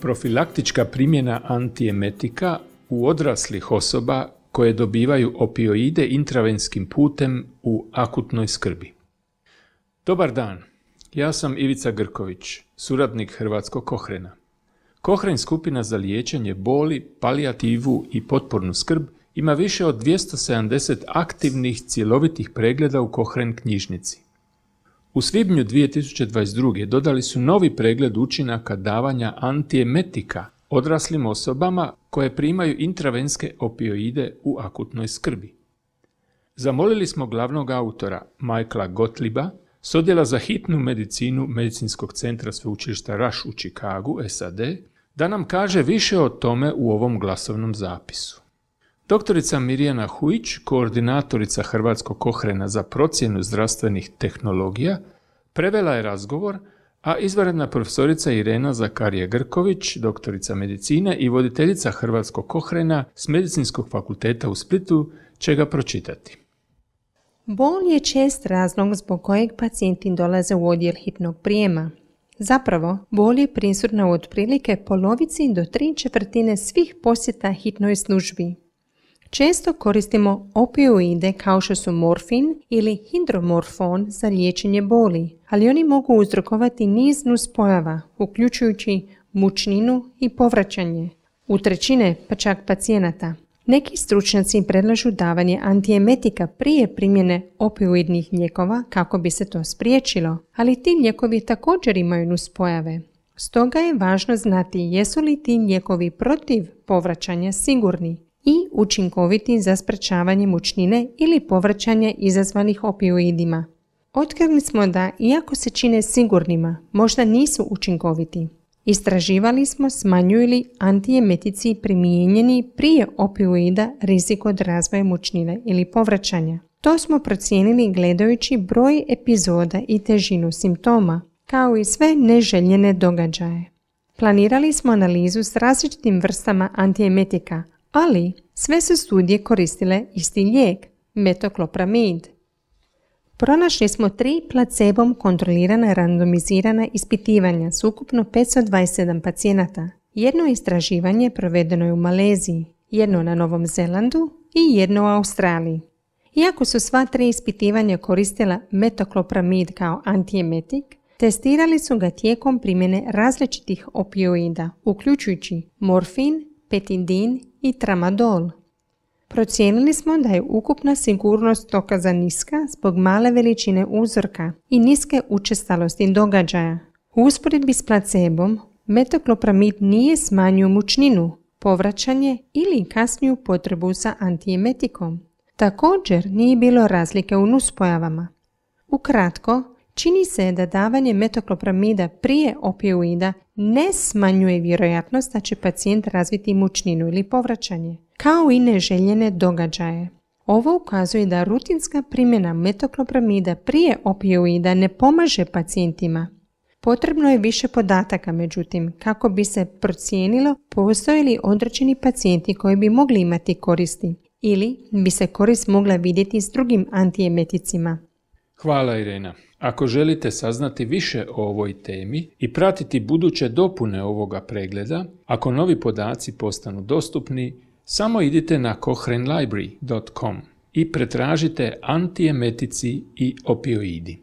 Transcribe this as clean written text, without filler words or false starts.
Profilaktička primjena antiemetika u odraslih osoba koje dobivaju opioide intravenskim putem u akutnoj skrbi. Dobar dan, ja sam Ivica Grković, suradnik Hrvatskog Kohrena. Kohren skupina za liječenje boli, palijativu i potpornu skrb ima više od 270 aktivnih cjelovitih pregleda u Kohren knjižnici. U svibnju 2022. dodali su novi pregled učinaka davanja antiemetika odraslim osobama koje primaju intravenske opioide u akutnoj skrbi. Zamolili smo glavnog autora Michaela Gottlieba s odjela za hitnu medicinu Medicinskog centra sveučilišta Rush u Chicagu, SAD, da nam kaže više o tome u ovom glasovnom zapisu. Doktorica Mirjana Hujić, koordinatorica Hrvatskog Kohrena za procjenu zdravstvenih tehnologija, prevela je razgovor, a izvanredna profesorica Irena Zakarije-Grković, doktorica medicine i voditeljica Hrvatskog Kohrena s Medicinskog fakulteta u Splitu, će ga pročitati. Bol je čest razlog zbog kojeg pacijenti dolaze u odjel hitnog prijema. Zapravo, bol je prisutna u otprilike polovici do 3/4 svih posjeta hitnoj službi. Često koristimo opioide kao što su morfin ili hidromorfon za liječenje boli, ali oni mogu uzrokovati niz nuspojava, uključujući mučninu i povraćanje. U trećine pa čak pacijenata. Neki stručnjaci predlažu davanje antiemetika prije primjene opioidnih lijekova kako bi se to spriječilo, ali ti lijekovi također imaju nuspojave. Stoga je važno znati jesu li ti lijekovi protiv povraćanja sigurni i učinkoviti za sprečavanje mučnine ili povraćanja izazvanih opioidima. Otkrili smo da, iako se čine sigurnima, možda nisu učinkoviti. Istraživali smo smanjuju li antiemetici primijenjeni prije opioida rizik od razvoja mučnine ili povraćanja. To smo procijenili gledajući broj epizoda i težinu simptoma, kao i sve neželjene događaje. Planirali smo analizu s različitim vrstama antiemetika, ali sve su studije koristile isti lijek, metoklopramid. Pronašli smo 3 placebom kontrolirana randomizirana ispitivanja s ukupno 527 pacijenata. Jedno istraživanje provedeno je u Maleziji, jedno na Novom Zelandu i jedno u Australiji. Iako su sva 3 ispitivanja koristila metoklopramid kao antiemetik, testirali su ga tijekom primjene različitih opioida, uključujući morfin, petidin i tramadol. Procijenili smo da je ukupna sigurnost dokaza niska zbog male veličine uzorka i niske učestalosti događaja. U usporedbi s placebom, metoklopramid nije smanjio mučninu, povraćanje ili kasniju potrebu za antiemetikom. Također nije bilo razlike u nuspojavama. Ukratko, čini se da davanje metoklopramida prije opioida ne smanjuje vjerojatnost da će pacijent razviti mučninu ili povraćanje, kao i neželjene događaje. Ovo ukazuje da rutinska primjena metoklopramida prije opioida ne pomaže pacijentima. Potrebno je više podataka, međutim, kako bi se procijenilo postoje li određeni pacijenti koji bi mogli imati koristi ili bi se korist mogla vidjeti s drugim antiemeticima. Hvala Irena. Ako želite saznati više o ovoj temi i pratiti buduće dopune ovoga pregleda, ako novi podaci postanu dostupni, samo idite na kohrenlibrary.com i pretražite antiemetici i opioidi.